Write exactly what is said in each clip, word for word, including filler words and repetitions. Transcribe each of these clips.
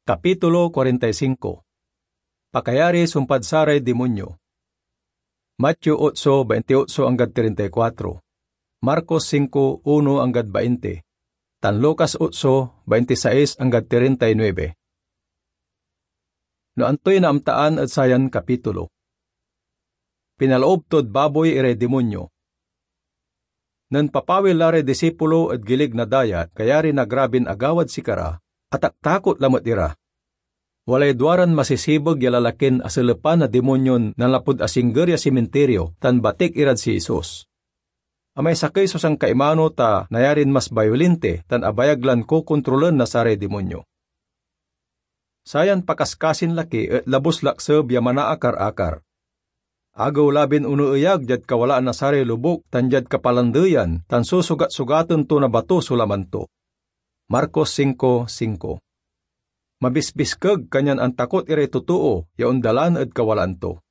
Kapitulo kuarenta y singko. Pakayari sumpad saray dimonyo. Mateo otso, baintiotso anggad treinta y kuatro, Marcos singko, uno anggad bainti, tan Lucas otso, baintisais anggad treinta y nuebe. No antoy naamtaan ed sayan kapitulo? Pinaloob tod baboy iray dimonyo. Nen papawil la ray disipulo ed gilig na dayat, kayari na grabin agawad sikara, ataktakot lamet ira. Walay duaran masisibeg ya lalakin aselepan na dimonyon nanlapud asingger ya simintirio tan batik irad si Jesus. Amay sakey so sankaimano ta nayarin mas bayolinte tan abayag lan kokontrolen na saray dimonyo. Sayan pakaskasin laki et labus lakseb ya manaakar-akar. Agew labin oneeyag diad kawalaan na saray lobuk tan diad kapalandeyan tan susugat-sugaten to na bato so laman to. Marcos singko singko. Mabisbiskeg, kanyan antakot iray totoo ya ondalan ed kawalaan to.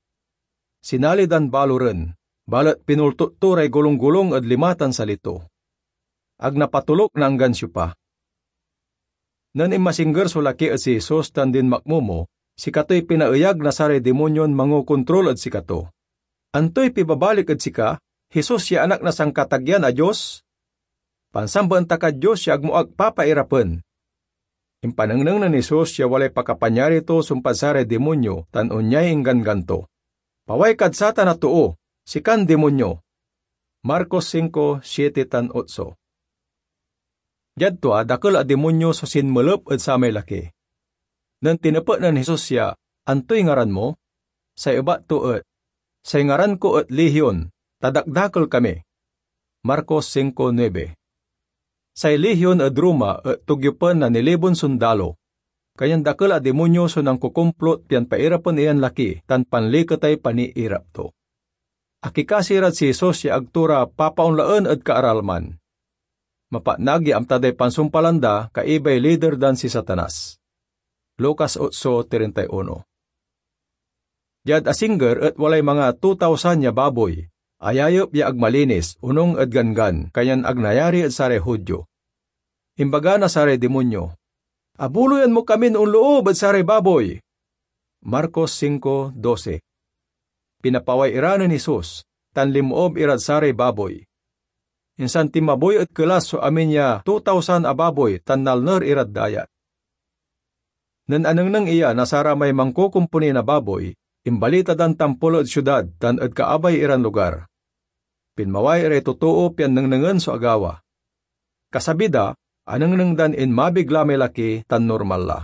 Sinali dan baloren, balet pinultot to ray golunggolung ed lima tan sali to. Ag napatoluk na anggan siopa. Nen inmasingger so laki ed si Jesus tan dinmakmomo, sikatoy pinaeyag na saray dimonyon mangokontrol ed sikato. "Antoy pibabalik ed sika, Jesus ya Anak na Sankatagean a Dios? Pansambaen ta kad Dios ya agmo ak papairapen." Impanengneng nen Jesus ya walay pakapanyari to sumpad saray dimonyo tan onyay ingganggan to, "Paway kad satan a too, sikan dimonyo!" Marcos singko, siete tan otso. Diad tua, dakel a dimonyo so sinmelep ed samay laki. Nen tinepet nen Jesus ya, "Antoy ngaran mo?" Say ebat to et, "Say ngaran ko et Legion, ta dakdakel kami." Marcos singko nuebe. Say Legion ed Roma et togyopen na nilibon sondalo, kanyan dakel a dimonyo so nankokomplot pian pairapen iran laki tan panliketay paniirap to. Akikasi rad si Jesus ya ag to ra papaonlaen ed kaaralman. Mapatnag ya amta day pansumpalan da, kaibay lider dan si Satanas. Lucas otso treinta y uno. Diad asingger et walay manga two thousand ya baboy, ayayep ya ag malinis, onung ed ganggan, kanyan ag nayari ed saray Judio. Imbaga na saray dimonyo, "Abuloyan mo kamin onloob ed saray baboy!" Marcos singko doce. Pinapaway ira nen Jesus, tan linmoob irad saray baboy. Insan tinmaboy ed kelas so amin ya two thousand a baboy tan nalner irad dayat. Nen anengneng iya na saramay mankokomponi na baboy, imbalita dan tampol ed siudad tan ed kaabay iran lugar. Pinmaway iray totoo pian nengnengen so agawa. Kasabi da, anengneng dan inmabig la may laki tan normal la.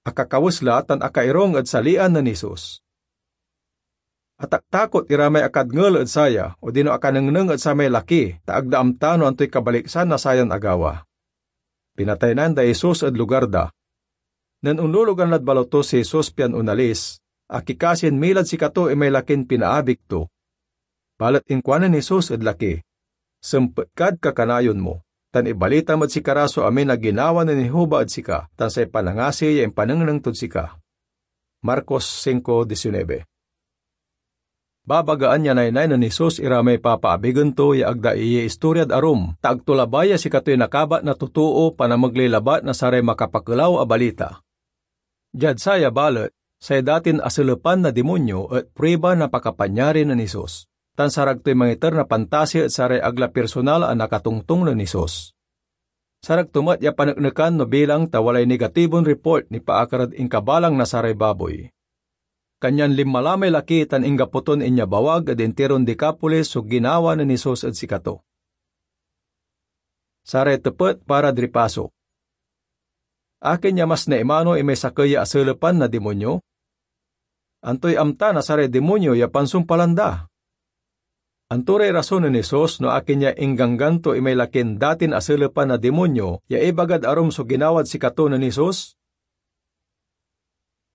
Akakawes la tan akairung ed salian nen Jesus. Ataktakot ira may akadngel ed saya odino akanengneng ed samay laki, ta ag da amta no antoy kabaliksan na sayan agawa. Pinataynan day Jesus ed lugar da. Nen onlulugan lad baloto si Jesus pian onalis, akikasin milad sikato imay lakin pinaabig to. Balet inkuanen Jesus ed laki, "Sempet kad kakanayon mo, tan ibalitam ed sikara so amin a ginawa nen Jehovah ed sika, tan say panangasi ya impanengneng tod sika." Marcos singko disinebe. Babagaan ya naynay nen Jesus ira may papaabigen to ya ag da iistoryad arum, ta ag to labay ya sikatoy nakabat na totoo panamegley labat na saray makapakelaw a balita. Diad saya balet, say datin aselepan na dimonyo et pruiba na pakapanyari nen Jesus, tan sarag toy mangiter na pantasi ed saray ag la personal a nakatongtong nen Jesus. Sarag to met ya paneknekan no bilang ta walay negatibon report nipaakar ed inkabalang na saray baboy. Kanyan linma la may laki tan inggapo ton inyabawag ed intiron Decapolis so ginawa nen Jesus ed sikato. Saray tepet parad ripaso. Akin ya mas naimano imay sakey ya aselepan na dimonyo? Antoy amta na saray dimonyo ya pansumpalan da? Anto ray rason nen Jesus no akin ya ingganggan to imay lakin datin aselepan na dimonyo ya ibagad arum so ginawad sikato nen Jesus?